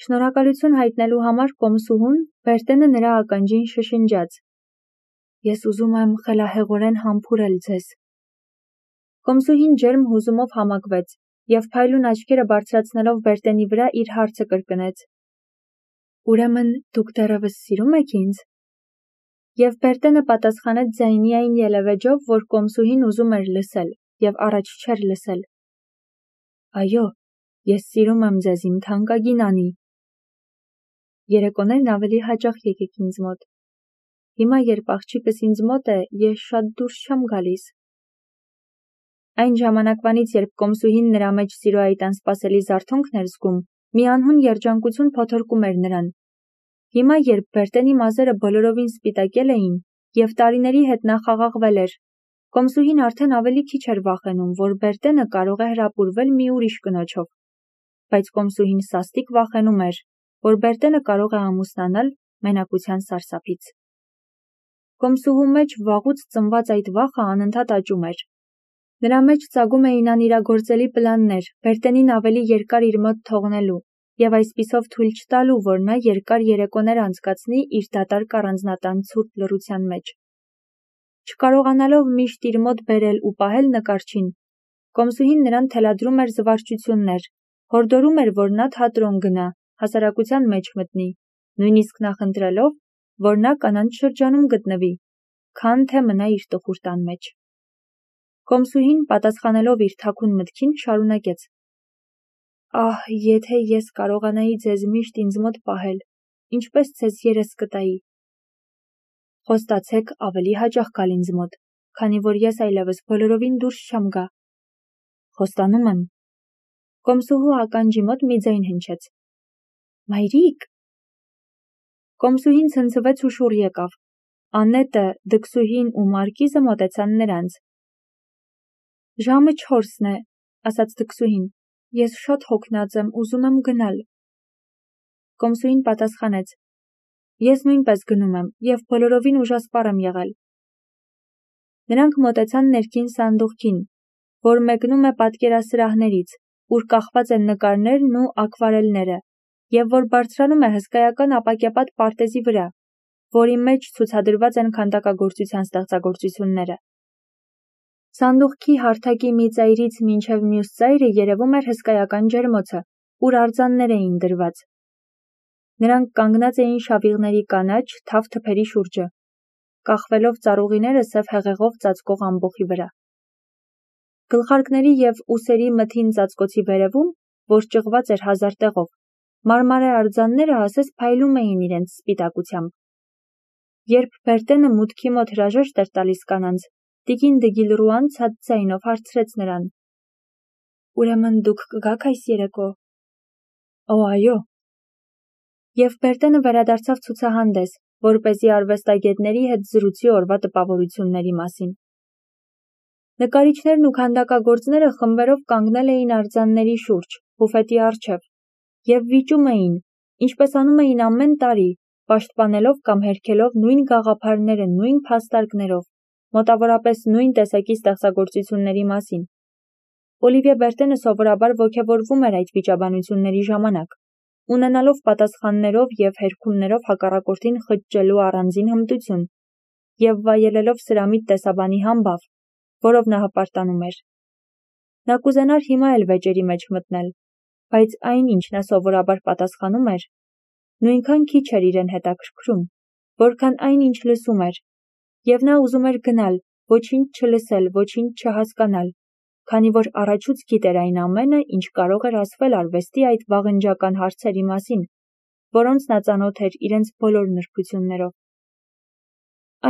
Շնորհակալություն հայտնելու համար Կոմսուհուն Բերտենը նրա ականջին շշնջաց. «Ես ուզում եմ խելահեղորեն համբուրել ձեզ»։ Կոմսուհին ջերմ հուզումով համակվեց և փայլուն աչքերը բարձրացնելով Բերտենի վրա իր հարցը կրկնեց. «Ուրեմն դուք դեռևս սիրում եք ինձ»։ Եվ Բերտենը պատասխանեց ձայնիային ելևէջով, որ Կոմսուհին ուզում էր լսել և առաջ չէր լսել. «Այո, ես սիրում եմ ձեզ, իմ թանկագին Անի։ Երեկոներն ավելի հաճախ եկեք ինձ մոտ։ Հիմա, երբ աղջիկս ինձ մոտ է, ես շատ դուրս չեմ գալիս»։ Այն ժամանակվանից, երբ Կոմսուհին նրա մեջ սիրո այդ անսպասելի զարթոնքն էր զգում, մի անհուն երջանկություն փոթորկում էր նրան։ Հիմա, երբ Բերտենի մազերը բոլորովին սպիտակել էին և տարիների հետ նա խաղաղվել էր, Կոմսուհին արդեն ավելի քիչ էր վախենում, որ Բերտենը կարող է հրապուրվել մի ուրիշ կնոջով։ Բայց Կոմսուհին սաստիկ վախենում էր, որ Բերտենը կարող է ամուսնանալ մենակության սարսափից։ Կոմսուհու մեջ վաղուց ծնված այդ վախը անընդհատ աճում էր։ Նրա մեջ ծագում էին անիրագործելի պլաններ Բերտենին ավելի երկար իր մոտ թողնելու և այսպիսով թույլ չտալու, որ նա երկար երեկոներ անցկացնի իր դատարկ առանձնատան ցուրտ լռության մեջ։ Չկարողանալով միշտ իր մոտ բերել ու պահել նկարչին, Կոմսուհին նրան թելադրում էր զվարճություններ, հորդորում էր, որ նա թատրոն գնա, հասարակության մեջ մտնի, նույնիսկ նախընտրելով, որ նա կանանց շրջանում գտնվի, քան թե մնա իր տխուր տան մեջ։ Կոմսուհին, պատասխանելով իր թաքուն մտքին, շարունակեց. «Ահ, եթե ես կարողանայի ձեզ միշտ ինձ մոտ պահել, ինչպես ձեզ երես կտայի։ Խոստացեք ավելի հաճախ գալ ինձ մոտ, քանի որ ես այլևս բոլորովին դուրս չեմ գա»։ «Խոստանում եմ»։ Կոմսուհու ականջի մոտ մի ձայն հնչեց. «Մայրիկ»։ Կոմսուհին ցնցվեց ու շուռ եկավ։ Անետը, Դքսուհին ու Մարկիզը մոտեցան նրանց։ «Ժամը 4-ն է», ասաց Դքսուհին, «ես շատ հոգնած եմ, ուզում եմ գնալ»։ Կոմսուհին պատասխանեց. «Ես նույնպես գնում եմ և բոլորովին ուժասպառ եմ եղել»։ Նրանք մոտեցան ներքին սանդուղքին, որ մեկնում է պատկերասրահներից, ուր կախված են նկարներն ու ակվարելները, և որ բարձրանում է հսկայական ապակեպատ պարտեզի վրա, որի մեջ ցուցադրված են քանդակագործության ստեղծագործությունները։ Սանդուղքի հարթակի մի ծայրից մինչև մյուս ծայրը երևում էր հսկայական ջերմոցը, ուր արձաններ էին դրված։ Նրանք կանգնած էին շավիղների կանաչ, թավ թփերի շուրջը, կախվելով ծառուղիները սև հեղեղով ծածկող ամբոխի վրա։ Գլխարկների և ուսերի մթին ծածկոցի վերևում, որ ճղված էր հազար տեղով, մարմարե արձանները ասես փայլում էին իրենց սպիտակությամբ։ Երբ Բերտենը մուտքի մոտ հրաժեշտ էր տալիս կանանց, տիկին Դգիլռուան ցած ձայնով հարցրեց նրան. «Ուրեմն դուք կգաք այս երեկո»։ «Օ, այո»։ Եվ Բերտենը վերադարձավ ցուցահանդես, որպեսզի արվեստագետների հետ զրուցի օրվա տպավորությունների մասին։ Նկարիչներն ու քանդակագործները խմբերով կանգնել էին արձանների շուրջ, բուֆետի առջև, և վիճում էին, ինչպես անում էին ամեն տարի, պաշտպանելով կամ հերքելով նույն գաղափարները նույն փաստարկներով, մոտավորապես նույն տեսակի ստեղծագործությունների մասին։ Օլիվիե Բերտենը սովորաբար ոգևորվում էր այդ վիճաբանությունների ժամանակ, ունենալով պատասխաններով և հերքումներով հակառակորդին խճճելու առանձին հմտություն և վայելելով սրամիտ տեսաբանի համբավ, որով նա հպարտանում էր։ Նա կուզենար հիմա էլ վեճերի մեջ մտնել, բայց այն, ինչ նա սովորաբար պատասխանում էր, նույնքան քիչ էր իրեն հետաքրքրում, որքան այն, ինչ լսում էր, և նա ուզում էր գնալ, ոչինչ չլսել, ոչինչ չհասկանալ, քանի որ առաջուց գիտեր այն ամենը, ինչ կարող էր ասվել արվեստի այդ վաղնջական հարցերի մասին, որոնց նա ծանոթ էր իրենց բոլոր նրբություններով։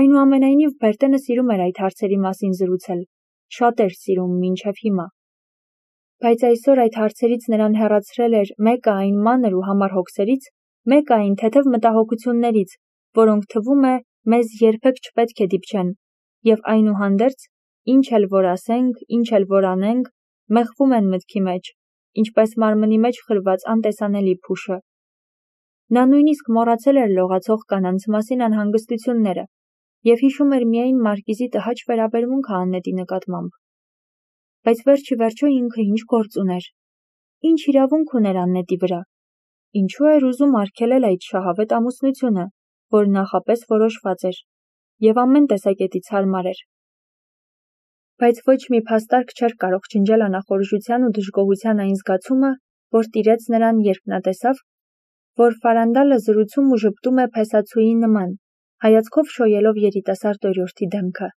Այնուամենայնիվ Բերտենը սիրում էր այդ հարցերի մասին զրուցել, շատ էր սիրում մինչև հիմա։ Բայց այսօր այդ հարցերից նրան հեռացրել էր մեկը այն մանր ու համառ հոգսերից, մեկը այն թեթև մտահոգություններից, որոնք թվում է մեզ երբեք չպետք է դիպչեն, և այնուհանդերձ, ինչ էլ որ ասենք, ինչ էլ որ անենք, մեղվում են մտքի մեջ, ինչպես մարմնի մեջ խրված անտեսանելի փուշը։ Նա նույնիսկ մոռացել էր լողացող կանանց մասին անհանգստությունները և հիշում էր միայն Մարկիզի տհաճ վերաբերմունքը Աննետի նկատմամբ։ Բայց վերջ ի վերջո ինքը ինչ գործ ուներ, ինչ իրավունք ուներ Աննետի վրա։ ինչու էր ուզում արգելել այդ շահավետ ամուսնությունը, որ նախապես որոշված էր, և ամեն տեսակետից հարմար էր։ Բայց ոչ մի փաստարկ չէր կարող ջնջել անախորժության ու դժգոհության այն զգացումը, որ տիրեց նրան, երբ նա տեսավ, որ Ֆարանդալը զրուցում ու ժպտում է փեսացուի նման, հայացքով շոյելով երիտասարդ օրիորդի դեմքը։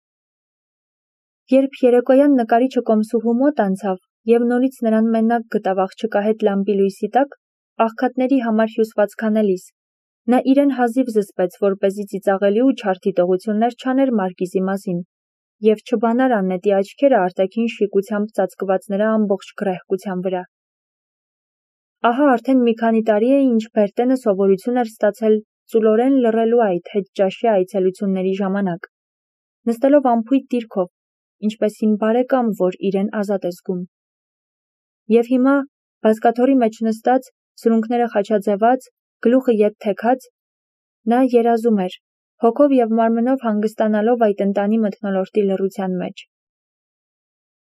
Երբ երեկոյան նկարիչը կոմսուհու մոտ անցավ և նորից նրան մենակ գտավ աղջկա հետ լամպի լույսի տակ, աղքատների համար հյուսված քանելիս, նա իրեն հազիվ զսպեց, որպեսզի ծիծաղելի ու չար դիտողություններ չաներ Մարգիզի մասին, և չբանար Աննետի աչքերը արտաքին շիկությամբ ծածկված նրա ամբողջ գռեհկության վրա։ Ահա արդեն մի քանի տարի է, ինչ Բերտենը սովորություն էր ստացել ծուլորեն լռելու այդ հետճաշի այցելությունների ժամանակ, նստելով անփույթ դիրքով, ինչպես հին բարեկամ, որ իրեն ազատ է զգում։ Եվ հիմա, բազկաթոռի մեջ նստած, սրունքները խաչաձևած, գլուխը ետ թեքած, նա երազում էր, հոգով և մարմնով հանգստանալով այդ ընտանի մթնոլորտի լռության մեջ։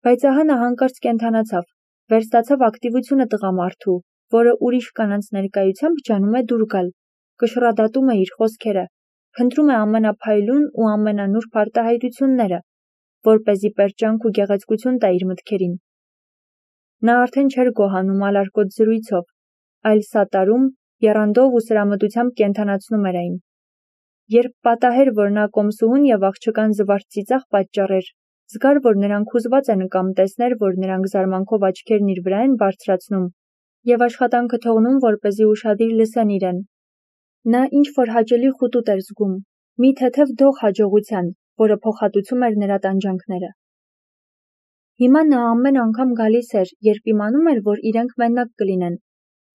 Բայց ահա նա հանկարծ կենդանացավ, վերստացավ ակտիվությունը տղամարդու, որը ուրիշ կանանց ներկայությամբ ջանում է դուր գալ, կշռադատում է իր խոսքերը, փնտրում է ամենափայլուն ու ամենանուրբ արտահայտությունները, որպեսզի պերճանք ու գեղեցկություն տա իր մտքերին։ Նա արդեն չէր գոհանում ալարկոտ զրույցով, այլ սատարում, եռանդով ու սրամտությամբ կենդանացնում էր այն։ Երբ պատահեր, որ նա կոմսուհուն և աղջկան զվարթ ծիծաղ պատճառեր, զգար, որ նրանք հուզված են կամ տեսներ, որ նրանք զարմանքով աչքերն իր վրա են բարձրացնում և աշխատանքը թողնում, որպեսզի ուշադիր լսեն իրեն։ Նա ինչ-որ հաճելի խուտուտ էր զգում, մի թեթև դող հաջողության, որը փոխհատուցում էր նրա տանջանքները։ Հիմա նա ամեն անգամ գալիս էր, երբ իմանում էր, որ իրենք մենակ կլինեն,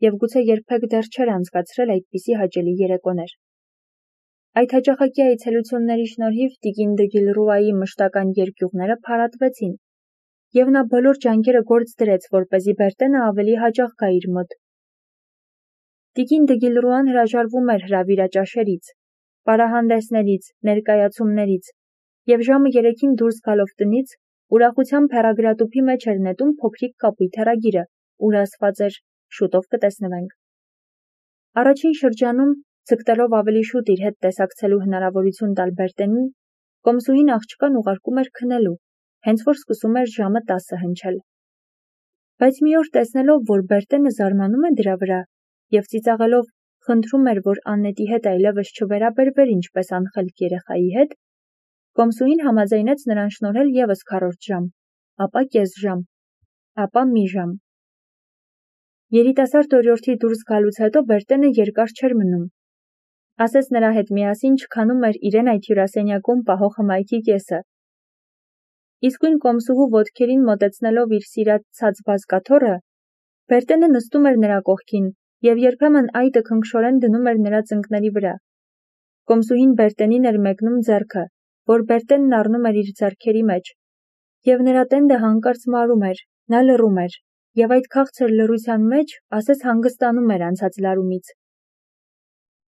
և գուցե երբեք դեռ չէր անցկացրել այդպիսի հաճելի երեկոներ։ Այդ հաճախակի այցելությունների շնորհիվ տիկին դը Գիլռուայի մշտական երկյուղները փարատվեցին, և նա բոլոր ջանքերը գործ դրեց, որպեսզի Բերտենը ավելի հաճախ գա իր մոտ։ Տիկին դը Գիլռուան հրաժարվում էր հրավիրաճաշերից, պարահանդեսներից, ներկայացումներից, և ժամը 3-ին դուրս գալով տնից, ուրախությամբ հեռագրատուփի մեջ էր նետում փոքրիկ կապույտ հեռագիրը, ուր ասված էր. «Շուտով կտեսնվենք»։ Առաջին շրջանում, ձգտելով ավելի շուտ իր հետ տեսակցելու հնարավորություն տալ Բերտենին, կոմսուհին աղջկան ուղարկում էր քնելու, հենց որ սկսում էր ժամը 10 հնչել։ Բայց մի օր տեսնելով, որ Բերտենը զարմանում է դրա վրա և ծիծաղելով խնդրում էր, որ Աննետի հետ այլևս չվերաբերվեր ինչպես անխելք երեխայի հետ, կոմսուհին համաձայնեց նրան շնորհել ևս քառորդ ժամ, ապա կես ժամ, ապա մի ժամ։ Երիտասարդ օրիորդի դուրս գալուց հետո Բերտենը երկար չէր մնում։ Ասես նրա հետ միասին չքանում էր իրեն այդ հյուրասենյակում պահող հմայքի կեսը։ Իսկույն կոմսուհու ոտքերին մոտեցնելով իր սիրած ցած բազկաթոռը, Բերտենը նստում էր նրա կողքին և երբեմն այտը քնքշորեն դնում էր նրա ծնկների վրա։ Կոմսուհին Բերտենին էր մեկնում ձեռքը, որ Բերտենն առնում էր իր ձեռքերի մեջ, և նրա տենդը հանկարծ մարում էր, նա լռում էր, և այդ քաղցր լռության մեջ ասես հանգստանում էր անցած լարումից։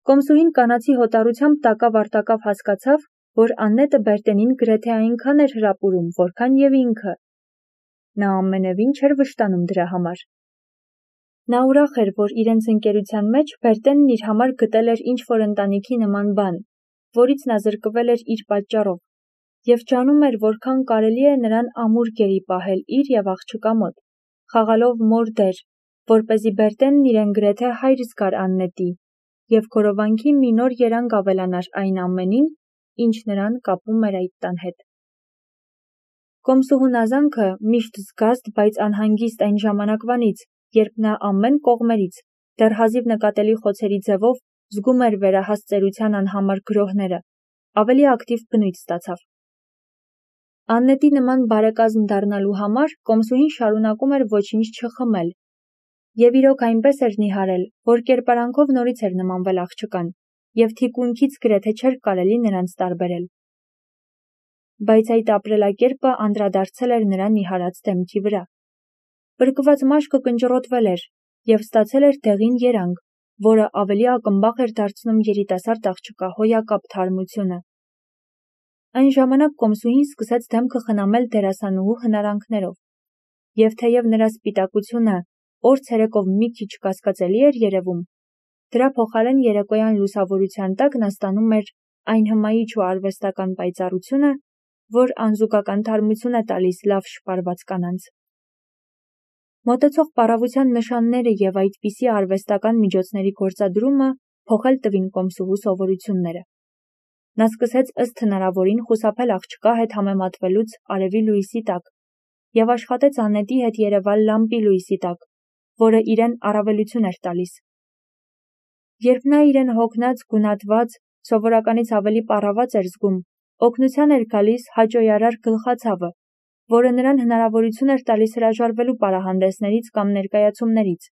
Կոմսուհին կանացի հոտառությամբ տակավ-արտակավ հասկացավ, որ Աննետը Բերտենին գրեթե այնքան էր հրապուրում, որքան և ինքը։ Նա ամենևին չէր վշտանում դրա համար։ Նա ուրախ էր, որ իրենց ընկերության մեջ Բերտենն իր համար գտել էր ինչ-որ ընտանիքի նման բան, որից նա զրկվել էր իր պատճառով, և ջանում էր, որքան կարելի է նրան ամուր գերի պահել իր և աղջկա մոտ, խաղալով մոր դեր, որպեսզի Բերտենն իրեն գրեթե հայր զգար Աննետի, և քորովանքի մի նոր երանգ ավելանար այն ամենին, ինչ նրան կապում էր այդ տան հետ։ Կոմսուհուն ազանքը միշտ զգաստ, բայց անհանգիստ այն ժամանակվանից, երբ նա ամեն կողմերից, դեռ հազիվ նկատելի խոցերի ձևով զգում էր վերահաս ծերության անհամար գրոհները, ավելի ակտիվ բնույթ ստացավ։ Աննետի նման բարեկազմ դառնալու համար կոմսուհին շարունակում էր ոչինչ չխմել, և իրոք այնպես էր նիհարել, որ կերպարանքով նորից էր նմանվել աղջկան, և թիկունքից գրեթե չէր կարելի նրանց տարբերել։ Բայց այդ ապրելակերպը անդրադարձել էր նրա նիհարած դեմքի վրա։ Պրկված մաշկը կնճռոտվել էր և ստացել էր դեղին երանգ, որը ավելի ակնբախ էր դարձնում երիտասարդ աղջկա հոյակապ թարմությունը։ Այն ժամանակ կոմսուհին սկսեց դեմքը խնամել դերասանուհու հնարանքներով, և թեև նրա սպիտակությունը օր ցերեկով մի քիչ կասկածելի էր երևում, Դրա փոխարեն երեկոյան լուսավորության տակ նա ստանում էր այն հմայիչ ու արվեստական պայծառությունը, որ անզուգական թարմություն է տալիս լավ շպարված կանանց։ Մոտեցող պառավության նշանները և այդպիսի արվեստական միջոցների գործադրումը փոխել տվին կոմսուհու սովորությունները։ Նա սկսեց ըստ հնարավորին խուսափել աղջկա հետ համեմատվելուց արևի լույսի տակ և աշխատեց անետի հետ երևալ լամպի լույսի տակ, որը իրեն առավելություն էր տալիս։ Երբ նա իրեն հոգնած, գունատված, սովորականից ավելի պառաված էր զգում, օգնության էր գալիս հաճոյարար գլխացավը, որը նրան հնարավորություն էր տալիս հրաժարվելու պարահանդեսներից կամ ներկայացումներից։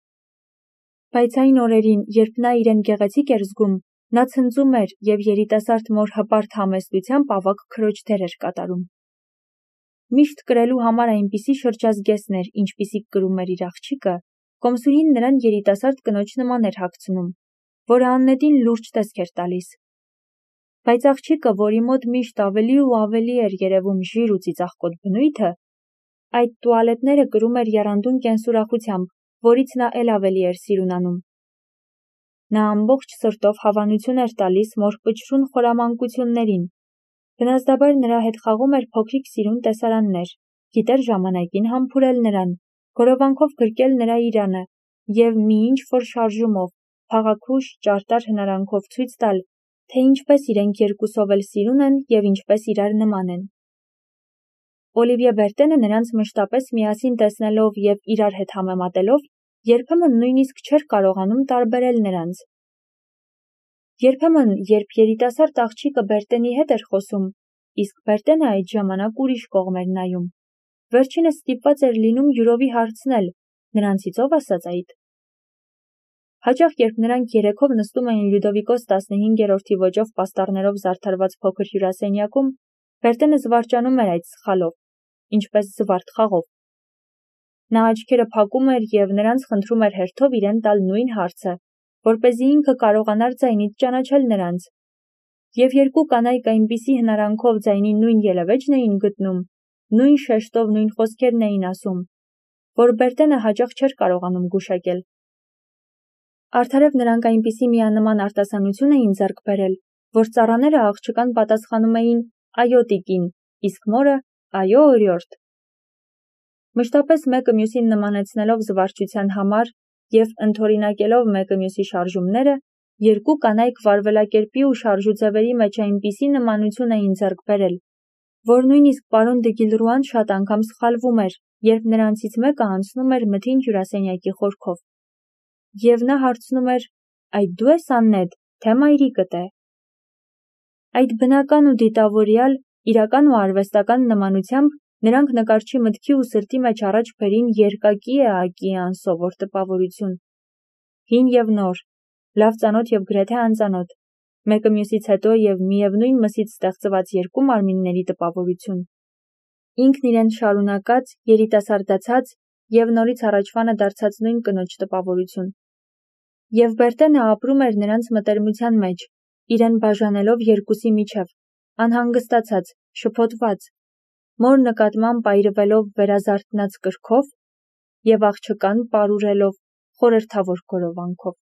Բայց այն օրերին, երբ նա իրեն գեղեցիկ էր զգում, նա ցնծում էր և երիտասարդ մոր հպարտ համեստությամբ ավագ քրոջ դեր էր կատարում։ Միշտ կրելու համար այնպիսի շրջազգեստներ, ինչպիսիք կրում էր իր աղջիկը, կոմսուհին նրան երիտասարդ կնոջ նման էր հագցնում, որը աննետին լուրջ տեսք էր տալիս։ Բայց աղջիկը, որի մոտ միշտ ավելի ու ավելի էր երևում ժիր ու ծիծաղկոտ բնույթը, այդ տուալետները կրում էր եռանդուն կենսուրախությամբ, որից նա էլ ավելի էր սիրունանում։ Նա ամբողջ սրտով հավանություն էր տալիս մոր պչրուն խորամանկություններին։ Բնազդաբար նրա հետ խաղում էր փոքրիկ սիրուն տեսարաններ, գիտեր ժամանակին համբուրել նրան, գորովանքով գրկել նրա իրանը և մի ինչ-որ շարժումով, փաղաքուշ, ճարտար հնարանքով ցույց տալ, թե ինչպես իրենք երկուսով էլ սիրուն են և ինչպես իրար նման են։ Օլիվիե Բերտենը նրանց մշտապես միասին տեսնելով և իրար հետ համեմատելով, երբեմն նույնիսկ չէր կարողանում տարբերել նրանց։ Երբեմն, երբ երիտասարդ աղջիկը Բերտենի հետ էր խոսում, իսկ Բերտենը այդ ժամանակ ուրիշ կողմ էր նայում, վերջինս ստիպված էր լինում յուրովի հարցնել. «Նրանցից ով ասաց այդ»։ Հաճախ, երբ նրանք երեքով նստում էին Լյուդովիկոս 15-րդի ոճով պաստառներով զարդարված փոքր հյուրասենյակում, Բերտենը զվարճանում էր այդ սխալով, ինչպես զվարթ խաղով։ Նա աչքերը փակում էր և նրանց խնդրում էր հերթով իրեն տալ նույն հարցը, որպեսզի ինքը կարողանար ձայնից ճանաչել նրանց։ Եվ երկու կանայք այնպիսի հնարանքով ձայնի նույն ելևէջն էին գտնում, նույն շեշտով նույն խոսքերն էին ասում, որ Բերտենը հաճախ չէր կարողանում գուշակել։ Արդարև նրանք այնպիսի միանման արտասանություն էին ձեռք բերել, որ ծառաները աղջկան պատասխանում էին «Այո, տիկին», իսկ մորը «Այո, օրիորդ»։ Մշտապես մեկը մյուսին նմանեցնելով զվարճության համար և ընդօրինակելով մեկը մյուսի շարժումները, երկու կանայք վարվելակերպի ու շարժուձևերի մեջ այնպիսի նմանություն էին ձեռք բերել, որ նույնիսկ պարոն դը Գիլռուան շատ անգամ սխալվում էր, երբ նրանցից մեկը անցնում էր մթին հյուրասենյակի խորքով։ Եվ նա հարցնում էր. «Այդ դու ես Աննետ, թե մայրիկդ է»։ Այդ բնական ու դիտավորյալ, իրական ու արվեստական նմանությամբ նրանք նկարչի մտքի ու սրտի մեջ առաջ բերին երկակի էակի անսովոր տպավորություն։ Հին և նոր, լավ ծանոթ և գրեթե անծանոթ, մեկը մյուսից հետո և միևնույն մսից ստեղծված երկու մարմինների տպավորություն։ Ինքն իրեն շարունակած, երիտասարդացած և նորից առաջվանը դարձած նույն կնոջ տպավորություն։ Եվ Բերտենը ապրում էր նրանց մտերմության մեջ, իրեն բաժանելով երկուսի միջև, անհանգստացած, շփոթված, մոր նկատմամբ այրվելով վերազարթնած կրքով և աղջկան պարուրելով խորհրդավոր գորովանքով։